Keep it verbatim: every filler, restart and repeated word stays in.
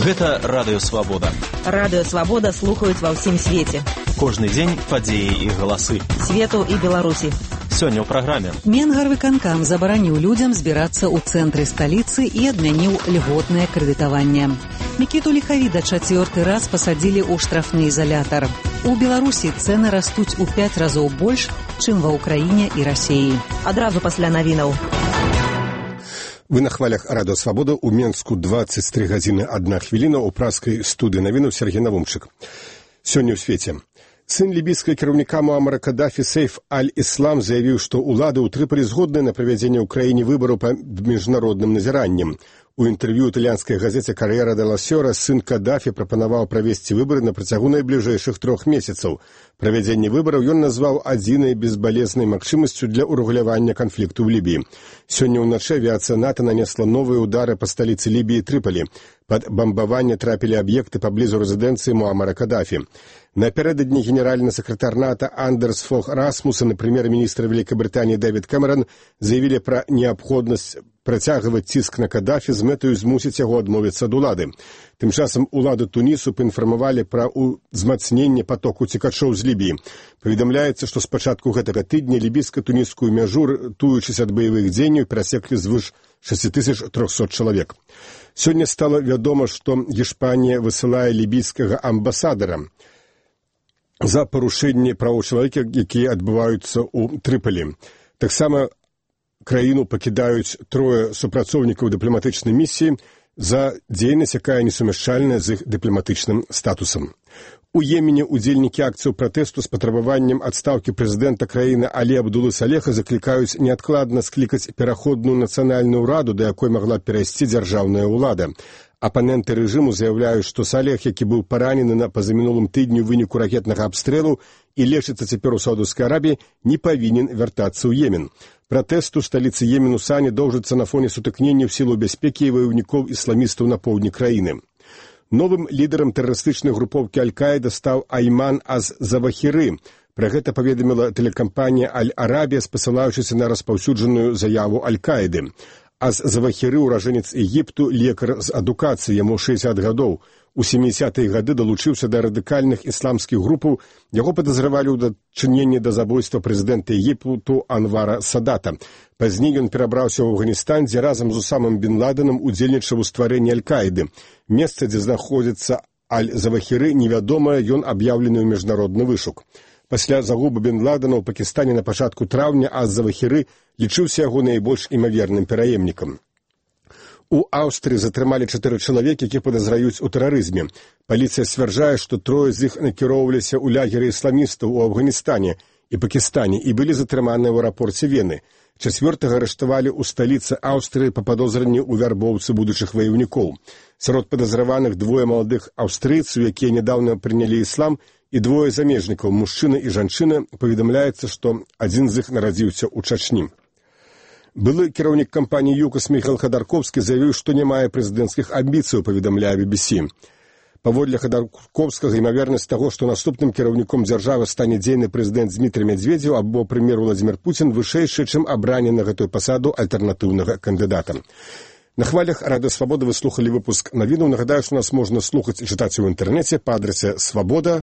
Гэта Радыё Свабода. Радыё Свабода слухаюць ва ўсім свеце. Кожны дзень падзеі і галасы. Свету і Беларусі. Сёння ў праграме. Менгарвыканкам забараніў людзям збірацца ў цэнтры сталіцы і адмяніў льготнае крэдытаванне. Мікіту Ліхавіда чацвёрты раз пасадзілі ў штрафны ізалятар. У Беларусі цэны растуць у пяць разоў больш, чым ва ўкраіне і Расіі. Адразу пасля навінаў. Вы на хвалях Радыё Свабода. У Менску дваццаць тры гадзіны адна хвіліна. У праскай студыі навінаў Сергей Навумчык. Сёння ў свеце. Сын лібійскага кіраўніка Муамара Кадафі Сейф Аль-Іслам заявіў, што ўлады ў Трыполі згодныя на правядзенне ў краіне выбараў па міжнародным назіраннем. У інтэрв'ю італьянскай газеце «Кар'ера де ла Сёра» сын Кадафі прапанаваў правесці выбары на працягу найбліжэйшых трох месяцаў. Правядзенне выбараў ён назваў адзінай безбалезнай магчымасцю для ўрэгулявання канфлікту ў Лібіі. Сёння ўначы авіацыя НАТО нанесла новыя ўдары па сталіцы Лібіі Трыполі. Пад бамбаванне трапілі аб'екты паблізу рэзідэнцыі Муамара Кадафі. Напярэдадні генеральны сакратар НАТО Андерс Фог Расмуссен і прэм'ер-міністр Вялікабрытаніі Дэвід Кэмерон заявілі пра неабходнасць працягваць ціск на Кадафі з мэтаю змусіць яго адмовіцца ад улады. Тым часам улады Тунісу паінфармавалі пра ўзмацненне патоку цікачоў з Лібіі. Паведамляецца, што з пачатку гэтага тыдня лібійска-тунісскую мяжу, рятуючыся ад баявых дзеянняў, перасеклі звыш шэсць тысяч трохсот чалавек. Сёння стала вядома, што Іспанія высылае лібійскага амбасадара за парушэнне правоў чалавека, якія адбываюцца ў Трыполі. Таксама краіну пакідаюць трое супрацоўнікаў дыпламатычнай місіі за дзейнасць, якая несумяшчальная з іх дыпламатычным статусам. У Йемене удзельнікі акцыяў пратэсту з патрабаваннем адстаўкі прэзідэнта краіны Алі Абдулы Салеха заклікаюць неадкладна склікаць пераходную нацыянальную ўраду, да якой магла перайсці дзяржаўная ўлада. Апаненты рэжыму заяўляюць, што Салех, які быў паранены на пазамінулым тыдні ў выніку ракетнага абстрэлу і лечыцца цяпер у Саўдаўскай Арабіі, не павінен вяртацца ў Йемен. Пратэст у сталіцы Йемену Сані доўжыцца на фоне сутыкнення ў сілу бяспекі і ваяўнікоў ісламістаў на поўдні краіны. Новым лідарам тэрарыстычнай групоўкі Аль-Каіда стаў Айман аз-Завахіры. Пра гэта паведаміла тэлекампанія Аль-Арабія, спасылаючыся на распаўсюджаную заяву Аль-Каіды. Az-Завахіры, уражэнец Егіпту, лекар з адукацыі, яму шэсцьдзесят гадоў. У сямідзясятыя гады далучыўся да радыкальных ісламскіх групаў, яго падазравалі ў дачыненні да забойства прэзідэнта Егіпту Анвара Садата. Пазней ён перабраўся ў Афганістан, дзе разам з Усамам бін Ладэнам удзельнічаў у стварэнні Аль-Каіды. Месца, дзе знаходзіцца Аль-Завахіры, невядомае, ён аб'яўлены ў міжнародны вышук. Пасля загубы бін Ладэна ў Пакістане на пачатку траўня аз-Завахіры лічыўся яго найбольш імаверным пераемнікам. У Аўстрыі затрымалі чатыры чалавекі, якіх падазраюць у тэрарызме. Паліцыя сцвярджае, што трое з іх накіроўваліся ў лягеры ісламістаў у Афганістане і Пакістане і былі затрыманыя ў аэрапорце Вены. Чацвёртага арыштавалі ў сталіцы Аўстрыі па падозранні ў вярбоўцы будучых ваяўнікоў. Сярод падазраваных двое маладых аўстрыйцаў, якія нядаўна прынялі іслам, і двое замежнікаў, мужчына і жанчына. Паведамляецца, што адзін з іх нарадзіўся ў Чачні. Былы кіраўнік кампаніі ЮКОС Міхайл Хадарковскі заявіў, што не мае прэзідэнцкіх амбіцыяў, паведамляе би би сі. Паводле Хадарковскага, імавернасць таго, што наступным кіраўніком дзяржавы стане дзейны прэзідэнт Дмітрый Медведзеў або прэм'ер Владзімір Пуцін, вышэйшая, чым абранне на гэтую пасаду альтэрнатыўнага кандыдата. На хвалях Радыё Свабода вы слухалі выпуск навінаў. Нагадаю, што нас можна слухаць і чытаць у інтэрнэце па адрасе свабода